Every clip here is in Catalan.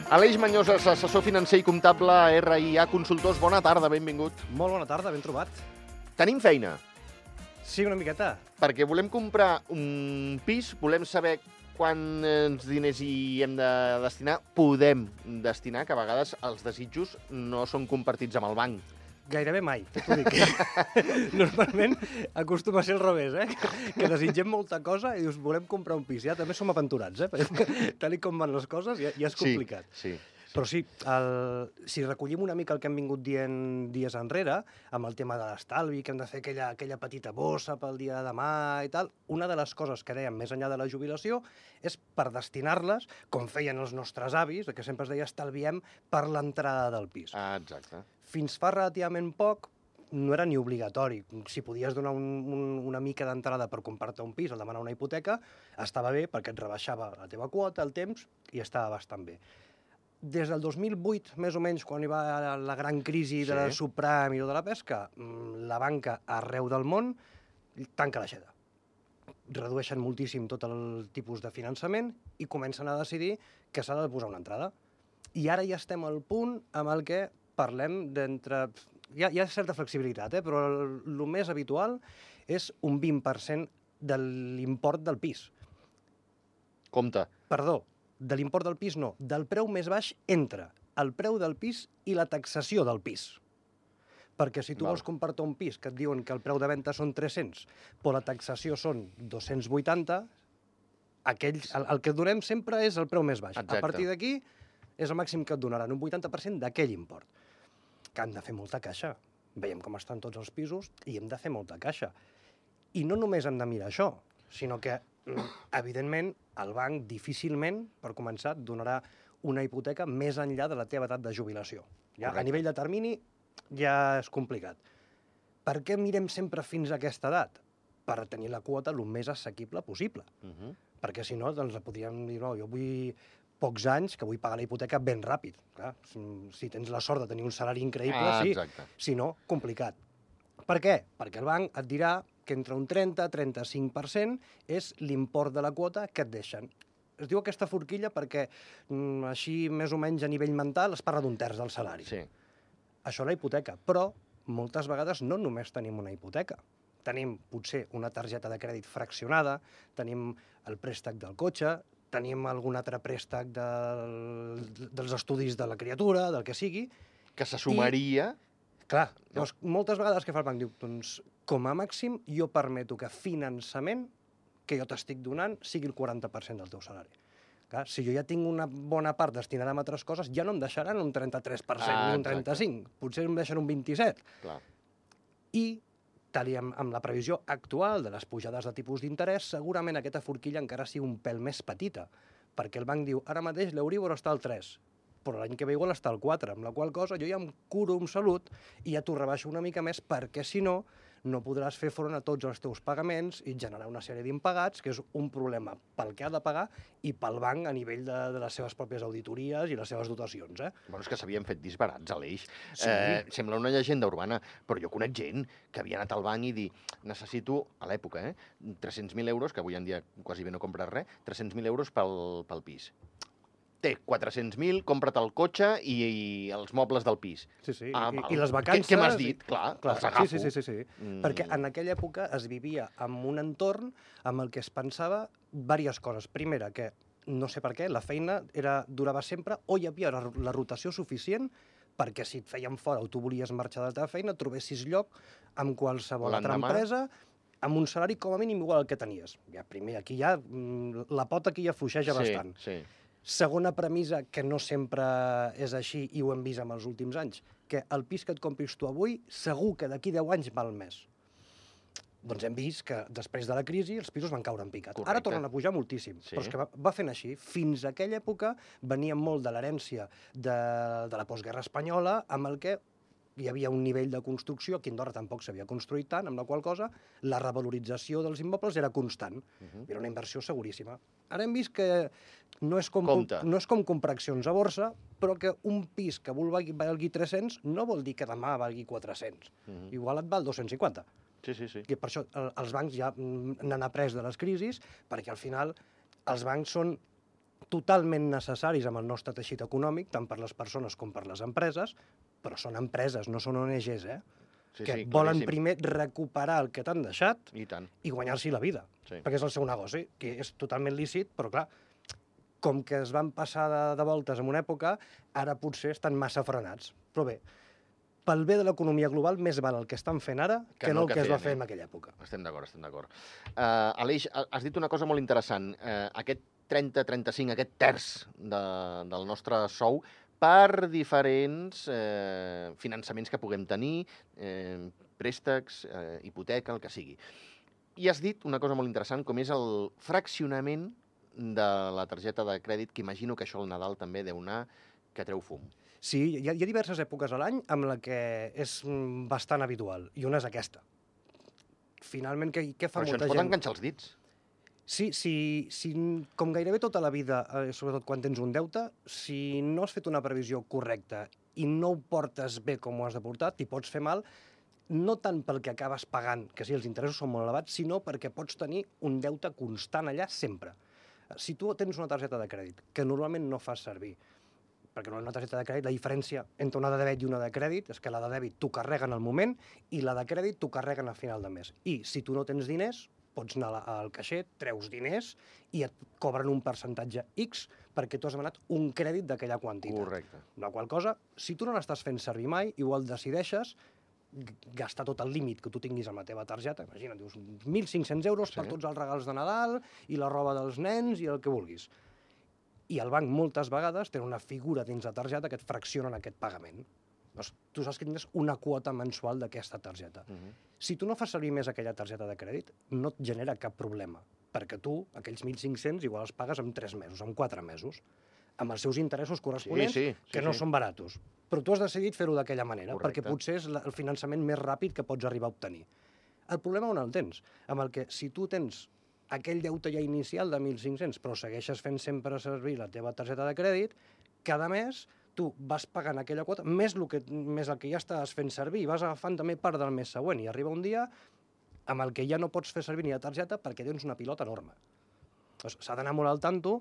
Aleix Mañoses, assessor financer i comptable RIA Consultors. Bona tarda, benvingut. Molt bona tarda, ben trobat. Tenim feina, Sí, una miqueta. perquè volem comprar un pis, volem saber quants diners hi hem de destinar, podem destinar, que a vegades els desitjos no són compartits amb el banc. Gairebé mai, t'ho dic. Normalment acostuma a ser al revés, que desitgem molta cosa i dius, volem comprar un pis. Ja també som aventurats, perquè tal com van les coses ja és complicat. Sí. Però sí, si recollim una mica el que hem vingut dient dies enrere, amb el tema de l'estalvi, que hem de fer aquella petita bossa pel dia de demà i tal, una de les coses que dèiem més enllà de la jubilació és per destinar-les, com feien els nostres avis, que sempre es deia estalviem per l'entrada del pis. Exacte. Fins fa relativament poc no era ni obligatori. Si podies donar una mica d'entrada per comprar-te un pis, al demanar una hipoteca, estava bé perquè et rebaixava la teva quota, el temps, i estava bastant bé. Des del 2008, més o menys, quan hi va la gran crisi de la subpram i de la pesca, la banca arreu del món tanca l'aixeta. Redueixen moltíssim tot el tipus de finançament i comencen a decidir que s'ha de posar una entrada. I ara ja estem al punt amb el que parlem d'entre... Hi ha certa flexibilitat, però el més habitual és un 20% de l'import del pis. Compte. Perdó, de l'import del pis no, del preu més baix entre el preu del pis i la taxació del pis. Perquè si tu vols comprar-te un pis que et diuen que el preu de venda són 300, però la taxació són 280, el que et donem sempre és el preu més baix. Exacte. A partir d'aquí és el màxim que et donaran, un 80% d'aquell import. Que han de fer molta caixa. Veiem com estan tots els pisos i hem de fer molta caixa. I no només hem de mirar això, sinó que, evidentment, el banc difícilment, per començar, et donarà una hipoteca més enllà de la teva edat de jubilació. Ja, a nivell de termini ja és complicat. Per què mirem sempre fins a aquesta edat? Per tenir la quota el més assequible possible. Perquè si no, doncs podríem dir, no, jo vull pocs anys, que vull pagar la hipoteca ben ràpid. Clar, si tens la sort de tenir un salari increïble, sí. Exacte. Si no, complicat. Per què? Perquè el banc et dirà que entre un 30-35% és l'import de la quota que et deixen. Es diu aquesta forquilla perquè així més o menys a nivell mental es parla d'un terç del salari. Sí. Això la hipoteca, però moltes vegades no només tenim una hipoteca. Tenim potser una targeta de crèdit fraccionada, tenim el préstec del cotxe, tenim algun altre préstec dels estudis de la criatura, del que sigui. Que se sumaria... Clar, llavors, moltes vegades què fa el banc? Diu, doncs, com a màxim, jo permeto que finançament que jo t'estic donant sigui el 40% del teu salari. Clar, si jo ja tinc una bona part destinada a altres coses, ja no em deixaran un 33% ni un 35%, potser em deixen un 27%. Clar. I, tal i amb la previsió actual de les pujades de tipus d'interès, segurament aquesta forquilla encara sigui un pèl més petita, perquè el banc diu, ara mateix l'Euríbor està al 3%, però l'any que ve igual està al 4%, amb la qual cosa jo ja em curo amb salut i ja t'ho rebaixo una mica més, perquè si no, no podràs fer front a tots els teus pagaments i generar una sèrie d'impagats, que és un problema pel que ha de pagar i pel banc a nivell de les seves pròpies auditories i les seves dotacions. Bueno, és que s'havien fet disbarats, Aleix. Sí. Sembla una llegenda urbana, però jo conec gent que havia anat al banc i dir necessito, a l'època, 300.000 euros, que avui en dia quasi bé no compres res, 300.000 euros pel pis. Té 400.000, compra't el cotxe i els mobles del pis. Sí, sí, i les vacances... Què m'has dit? Clar, els agafo. Sí. Perquè en aquella època es vivia en un entorn amb el que es pensava diverses coses. Primera, que no sé per què, la feina durava sempre o hi havia la rotació suficient perquè si et feien fora o tu volies marxar de la teva feina, trobessis lloc amb qualsevol altra empresa amb un salari com a mínim igual al que tenies. Ja, primer, aquí ja la pota aquí ja fluixeja bastant. Sí. Segona premissa, que no sempre és així i ho hem vist en els últims anys, que el pis que et compris tu avui segur que d'aquí 10 anys val més. Doncs hem vist que després de la crisi els pisos van caure en picat. Correcte. Ara tornen a pujar moltíssim, però és que va fent així. Fins a aquella època venia molt de l'herència de la postguerra espanyola, amb el que hi havia un nivell de construcció, aquí a Andorra tampoc s'havia construït tant, amb la qual cosa la revalorització dels immobles era constant. Era una inversió seguríssima. Ara hem vist que no és com comprar accions a borsa, però que un pis que valgui 300 no vol dir que demà valgui 400. Igual et val 250. Sí. I per això els bancs ja n'han après de les crisis, perquè al final els bancs són totalment necessaris amb el nostre teixit econòmic, tant per les persones com per les empreses, però són empreses, no són ONGs, Sí, que sí, volen claríssim. primer recuperar el que t'han deixat I tant. i guanyar-s'hi la vida, Sí. perquè és el seu negoci, que és totalment lícit, però clar, com que es van passar de voltes en una època, ara potser estan massa frenats. Però bé, pel bé de l'economia global, més val el que estan fent ara que no el que es va fer en aquella època. Estem d'acord, estem d'acord. Aleix, has dit una cosa molt interessant. Aquest 30-35, aquest terç del nostre sou, per diferents finançaments que puguem tenir, préstecs, hipoteca, el que sigui. I has dit una cosa molt interessant, com és el fraccionament de la targeta de crèdit, que imagino que això al Nadal també deu anar que treu fum. Sí, hi ha diverses èpoques a l'any amb la que és bastant habitual, i una és aquesta. Finalment, què fa Però això molta ens pot gent? enganxar els dits. Sí, com gairebé tota la vida, sobretot quan tens un deute, si no has fet una previsió correcta i no ho portes bé com ho has de portar, t'hi pots fer mal, no tant pel que acabes pagant, que sí, els interessos són molt elevats, sinó perquè pots tenir un deute constant allà sempre. Si tu tens una targeta de crèdit, que normalment no fas servir, perquè una targeta de crèdit, la diferència entre una de dèbit i una de crèdit és que la de dèbit t'ho carreguen al moment i la de crèdit t'ho carreguen a final de mes. I si tu no tens diners, pots anar al caixer, treus diners i et cobren un percentatge X perquè tu has demanat un crèdit d'aquella quantitat. Correcte. La qual cosa, si tu no l'estàs fent servir mai, igual decideixes gastar tot el límit que tu tinguis amb la teva targeta, imagina't, dius 1.500 euros per tots els regals de Nadal i la roba dels nens i el que vulguis. I el banc moltes vegades té una figura dins la targeta que et fracciona en aquest pagament. Doncs tu saps que tindràs una quota mensual d'aquesta targeta. Si tu no fas servir més aquella targeta de crèdit, no et genera cap problema, perquè tu, aquells 1.500, igual els pagues en 3 mesos, en 4 mesos, amb els seus interessos corresponents, que no són baratos. Però tu has decidit fer-ho d'aquella manera, perquè potser és el finançament més ràpid que pots arribar a obtenir. El problema on el tens? Amb el que si tu tens aquell deute ja inicial de 1.500, però segueixes fent sempre servir la teva targeta de crèdit, cada mes tu vas pagant aquella quota, més el que ja estàs fent servir, i vas agafant també part del mes següent, i arriba un dia amb el que ja no pots fer servir ni la targeta perquè tens una pilota enorme. S'ha d'anar molt al tanto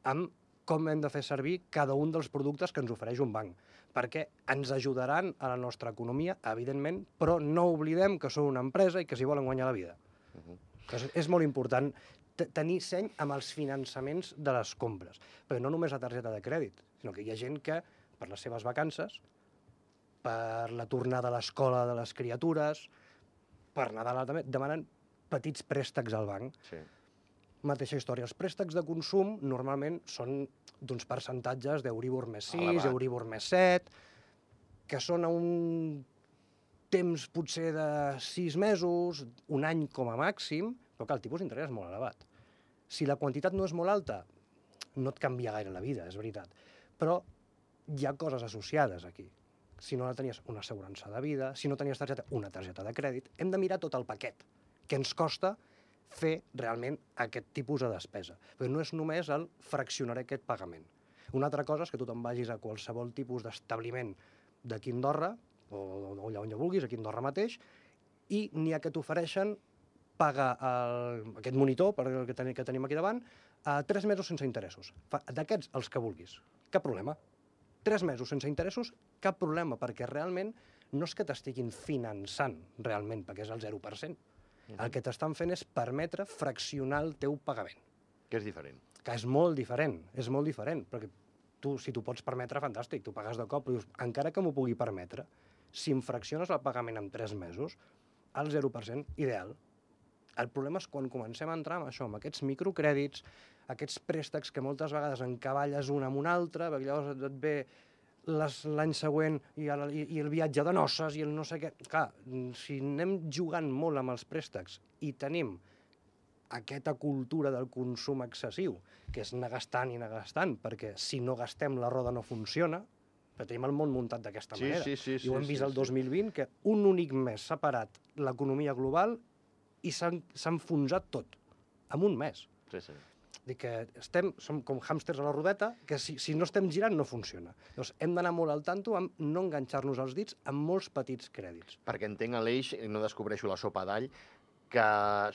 amb com hem de fer servir cada un dels productes que ens ofereix un banc, perquè ens ajudaran a la nostra economia, evidentment, però no oblidem que són una empresa i que s'hi volen guanyar la vida. És molt important tenir seny amb els finançaments de les compres, perquè no només la targeta de crèdit, sinó que hi ha gent que, per les seves vacances, per la tornada a l'escola de les criatures, per Nadal també, demanen petits préstecs al banc. Sí. Mateixa història. Els préstecs de consum normalment són d'uns percentatges d'Euribor més 6, Euribor més 7, que són a un temps potser de 6 mesos, un any com a màxim, però que el tipus d'interès és molt elevat. Si la quantitat no és molt alta, no et canvia gaire la vida, és veritat. Però hi ha coses associades aquí. Si no tenies una assegurança de vida, si no tenies targeta, una targeta de crèdit, hem de mirar tot el paquet, que ens costa fer realment aquest tipus de despesa. Però no és només el fraccionar aquest pagament. Una altra cosa és que tu te'n vagis a qualsevol tipus d'establiment d'aquí a Andorra, o allà on ja vulguis, aquí a Andorra mateix, i n'hi ha que t'ofereixen pagar aquest monitor que tenim aquí davant a 3 mesos sense interessos. D'aquests, els que vulguis. Cap problema. 3 mesos sense interessos, cap problema, perquè realment no és que t'estiguin finançant realment, perquè és el 0%. El que t'estan fent és permetre fraccionar el teu pagament. Que és diferent. Que és molt diferent, perquè tu, si t'ho pots permetre, fantàstic, tu pagues de cop, però dius, encara que m'ho pugui permetre, si em fracciones el pagament en 3 mesos, al 0%, ideal. El problema és quan comencem a entrar amb això, amb aquests microcrèdits, aquests préstecs que moltes vegades encavalles un amb un altre, perquè llavors et ve l'any següent i el viatge de noces i el no sé què. Clar, si anem jugant molt amb els préstecs i tenim aquesta cultura del consum excessiu, que és anar gastant i anar gastant, perquè si no gastem la roda no funciona, però tenim el món muntat d'aquesta manera. I ho hem vist el 2020, que un únic mes s'ha parat l'economia global i s'ha enfonsat tot, en un mes. Sí. Dic que som com hàmsters a la rodeta, que si no estem girant no funciona. Llavors hem d'anar molt al tanto amb no enganxar-nos els dits amb molts petits crèdits. Perquè entenc, Aleix, no descobreixo la sopa d'all, que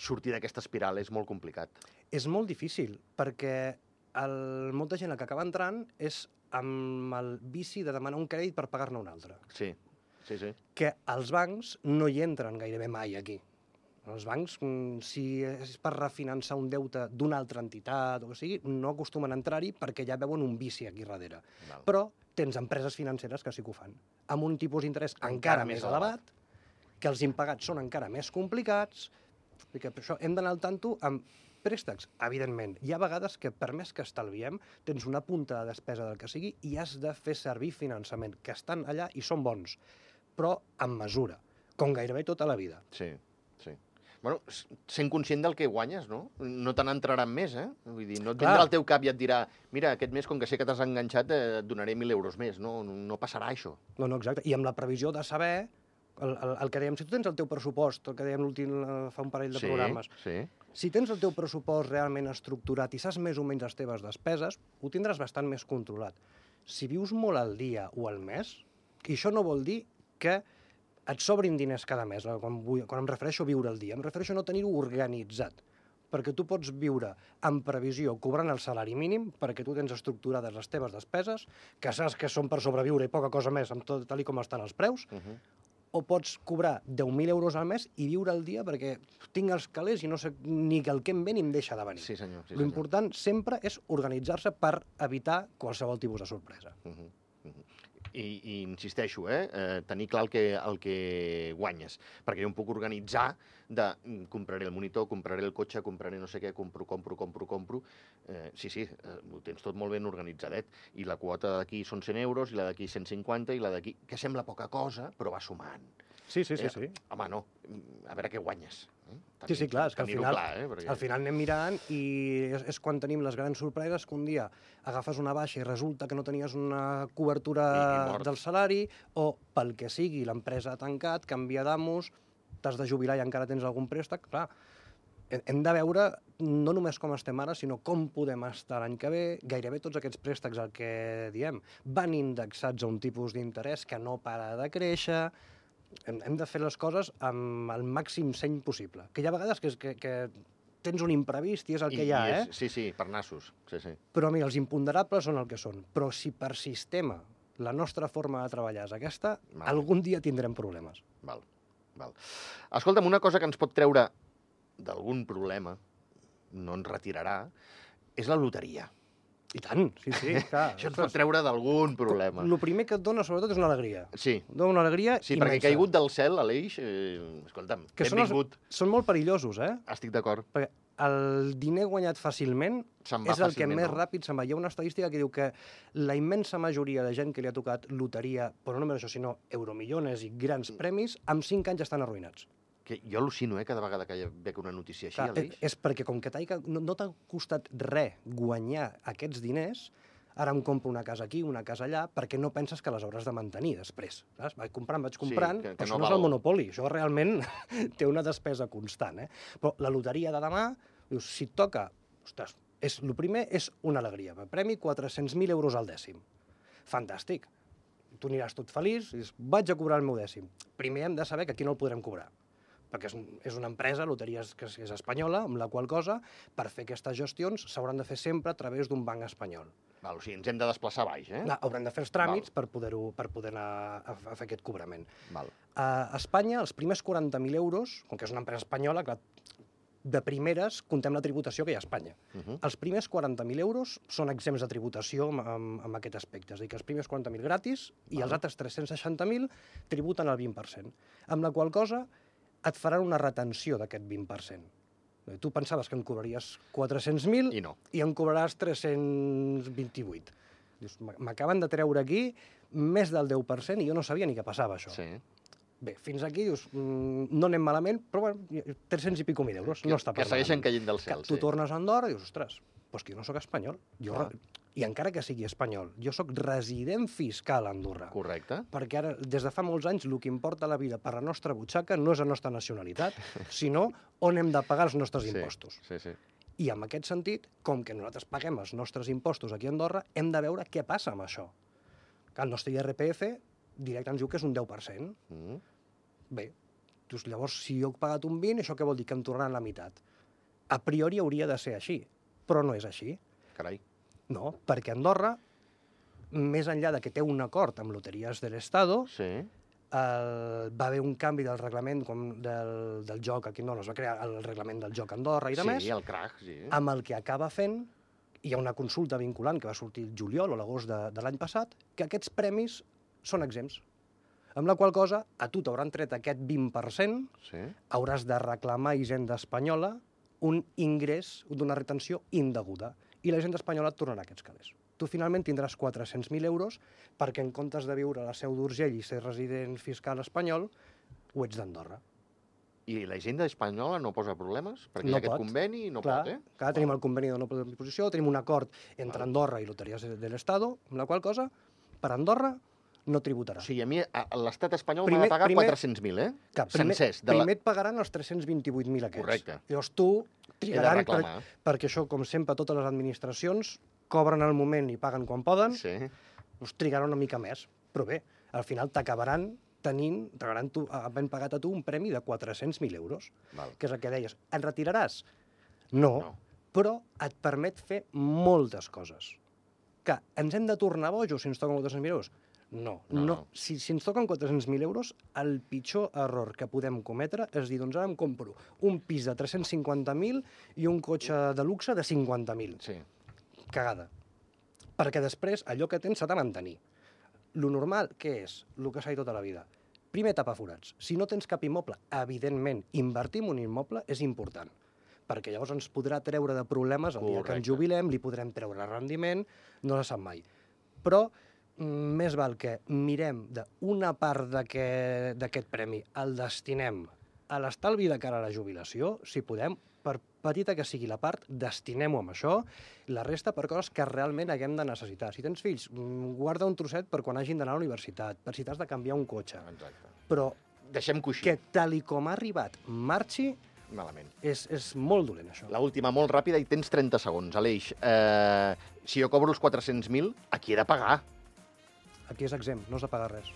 sortir d'aquesta espiral és molt complicat. És molt difícil, perquè molta gent que acaba entrant és amb el vici de demanar un crèdit per pagar-ne un altre. Sí, sí, sí. Que els bancs no hi entren gairebé mai aquí. Els bancs, si és per refinançar un deute d'una altra entitat o que sigui, no acostumen a entrar-hi perquè ja veuen un vici aquí darrere. Val. Però tens empreses financeres que sí que ho fan, amb un tipus d'interès encara més elevat, que els impagats són encara més complicats, i que per això hem d'anar al tanto amb préstecs, evidentment. Hi ha vegades que, per més que estalviem, tens una punta de despesa del que sigui i has de fer servir finançament, que estan allà i són bons, però amb mesura, com gairebé tota la vida. Sí, sí. Bueno, sent conscient del que guanyes, no? No te n'entraran més, eh? Vull dir, no et vindrà al teu cap i et dirà mira, aquest mes, com que sé que t'has enganxat, et donaré 1.000 euros més. No passarà això. No, exacte. I amb la previsió de saber, el que dèiem, si tu tens el teu pressupost, el que dèiem l'últim fa un parell de programes, si tens el teu pressupost realment estructurat i saps més o menys les teves despeses, ho tindràs bastant més controlat. Si vius molt al dia o al mes, i això no vol dir que et sobrin diners cada mes, quan em refereixo a viure al dia, em refereixo a no tenir-ho organitzat, perquè tu pots viure en previsió cobrant el salari mínim, perquè tu tens estructurades les teves despeses, que saps que són per sobreviure i poca cosa més, amb tot tal com estan els preus, o pots cobrar 10.000 euros al mes i viure al dia perquè tinc els calés i no sé ni el que em ve ni em deixa de venir. Sí, senyor. L'important sempre és organitzar-se per evitar qualsevol tipus de sorpresa. I insisteixo, tenir clar el que guanyes, perquè jo em puc organitzar de compraré el monitor, compraré el cotxe, compraré no sé què, compro. Sí, ho tens tot molt ben organitzadet. I la quota d'aquí són 100 euros, i la d'aquí 150, i la d'aquí... que sembla poca cosa, però va sumant. Sí. Home, no, a veure què guanyes. Sí, clar, és que al final anem mirant i és quan tenim les grans sorpreses que un dia agafes una baixa i resulta que no tenies una cobertura del salari o pel que sigui, l'empresa ha tancat, canvia d'amos, t'has de jubilar i encara tens algun préstec. Clar, hem de veure no només com estem ara, sinó com podem estar l'any que ve. Gairebé tots aquests préstecs, el que diem, van indexats a un tipus d'interès que no para de créixer. Hem de fer les coses amb el màxim seny possible. Que hi ha vegades que tens un imprevist i és el que hi ha, Sí, per nassos. Sí. Però mira, els imponderables són el que són. Però si per sistema la nostra forma de treballar és aquesta, algun dia tindrem problemes. Val. Escolta'm, una cosa que ens pot treure d'algun problema, no ens retirarà, és la loteria. I tant, sí, clar. Això ens pot treure d'algun problema. El primer que et dona, sobretot, és una alegria. Sí. Dona una alegria immensa. Sí, perquè ha caigut del cel, Aleix, escolta'm, benvingut. Són molt perillosos, Estic d'acord. Perquè el diner guanyat fàcilment és el que més ràpid se'n va. Hi ha una estadística que diu que la immensa majoria de gent que li ha tocat loteria, però no només això, sinó euromillones i grans premis, amb 5 anys estan arruïnats. Que jo al·lucino, cada vegada que veig una notícia així, Aleix. És perquè com que no t'ha costat res guanyar aquests diners, ara em compro una casa aquí, una casa allà, perquè no penses que les hauràs de mantenir després. Saps? Vaig comprant, però això no és el Monopoli, això realment té una despesa constant. Però la loteria de demà, dius, si et toca, ostres, el primer és una alegria, premi 400.000 euros al dècim. Fantàstic. Tu aniràs tot feliç i dius, vaig a cobrar el meu dècim. Primer hem de saber que aquí no el podrem cobrar, perquè és una empresa, loteries, que és espanyola, amb la qual cosa, per fer aquestes gestions, s'hauran de fer sempre a través d'un banc espanyol. O sigui, ens hem de desplaçar baix, Haurem de fer els tràmits per poder anar a fer aquest cobrament. Val. A Espanya, els primers 40.000 euros, com que és una empresa espanyola, clar, de primeres comptem la tributació que hi ha a Espanya. Els primers 40.000 euros són exempts de tributació amb aquest aspecte. És a dir, que els primers 40.000 gratis i els altres 360.000 tributen el 20%. Amb la qual cosa et faran una retenció d'aquest 20%. Tu pensaves que en cobraries 400.000 i en cobraràs 328. Dius, m'acaben de treure aquí més del 10% i jo no sabia ni què passava, això. Sí. Bé, fins aquí, dius, no anem malament, però bueno, 300 i pico mil euros, no està que segueixen caient del cel. Tu tornes a Andorra i dius, ostres, doncs que jo no sóc espanyol. I encara que sigui espanyol, jo sóc resident fiscal a Andorra. Correcte. Perquè ara, des de fa molts anys, el que importa a la vida per la nostra butxaca no és la nostra nacionalitat, sinó on hem de pagar els nostres impostos. Sí. I en aquest sentit, com que nosaltres paguem els nostres impostos aquí a Andorra, hem de veure què passa amb això. Que el nostre IRPF directe ens diu que és un 10%. Bé, llavors, si jo he pagat un 20%, això què vol dir? Que em tornaran la meitat. A priori hauria de ser així, però no és així. Carai. No, perquè Andorra, més enllà de que té un acord amb Loteries de l'Estado, Sí. va haver un canvi del reglament del joc aquí, no, es va crear el reglament del joc a Andorra i de més, Sí, el crack, sí. amb el que acaba fent, hi ha una consulta vinculant que va sortir el juliol o l'agost de l'any passat, que aquests premis són exempts. Amb la qual cosa, a tu t'hauran tret aquest 20%, Sí. hauràs de reclamar a Hisenda Espanyola un ingrés d'una retenció indeguda. I la Hisenda Espanyola et tornarà aquests calés. Tu finalment tindràs 400.000 euros perquè en comptes de viure a la Seu d'Urgell i ser resident fiscal espanyol, ho ets d'Andorra. I la Hisenda espanyola no posa problemes? Perquè No hi ha aquest pot. conveni i no Clar, pot, eh? clar, tenim el conveni de no disposició, tenim un acord entre Val. Andorra i Loteries de l'Estado, amb la qual cosa, per Andorra no tributarà. O sigui, a mi l'estat espanyol m'ha Primer- de pagar primer- 400.000, eh? Que Sencers. primer et pagaran els 328.000 aquests. Correcte. Llavors tu He de trigaran, reclamar. perquè això, com sempre, totes les administracions cobren al moment i paguen quan poden, Sí. doncs trigaran una mica més. Però bé, al final t'acabaran havent pagat a tu un premi de 400.000 euros, Val. que és el que deies. En retiraràs? No, No. però et permet fer moltes coses. Que ens hem de tornar bojos si ens toquen 400.000 euros? No. No. Si ens toquen 400.000 euros, el pitjor error que podem cometre és dir, doncs ara em compro un pis de 350.000 i un cotxe de luxe de 50.000. Sí. Cagada. Perquè després allò que tens s'ha de mantenir. Lo normal, què és? El que s'ha dit tota la vida. Primer, tapar forats. Si no tens cap immoble, evidentment, invertir en un immoble és important, perquè llavors ens podrà treure de problemes el dia que Correcte. ens jubilem, li podrem treure rendiment, no se sap mai. Però més val que mirem d'una part d'aquest premi, el destinem a l'estalvi de cara a la jubilació, si podem, per petita que sigui la part, destinem-ho amb això, la resta per coses que realment haguem de necessitar. Si tens fills, guarda un trosset per quan hagin d'anar a la universitat, per si t'has de canviar un cotxe. Exacte. Però Deixem coixí. que tal i com ha arribat marxi, Malament. és molt dolent, això. La última, molt ràpida, i tens 30 segons. Aleix, si jo cobro els 400.000, a qui he de pagar? Aquí és exempt, no has de pagar res.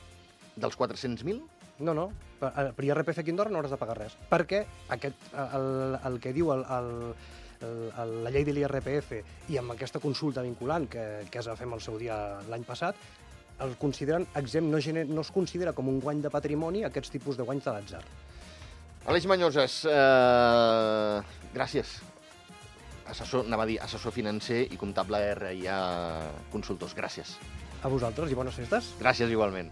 Dels 400.000? No, per IRPF aquí a Andorra no hauràs de pagar res, perquè el que diu la llei de l'IRPF i amb aquesta consulta vinculant que es va fer amb el seu dia l'any passat, el consideren exempt, no es considera com un guany de patrimoni aquests tipus de guanys de l'atzar. Aleix Mañoses, gràcies. Anava a dir assessor financer i comptable RIA Consultors. Gràcies. A vosaltres i bones festes. Gràcies igualment.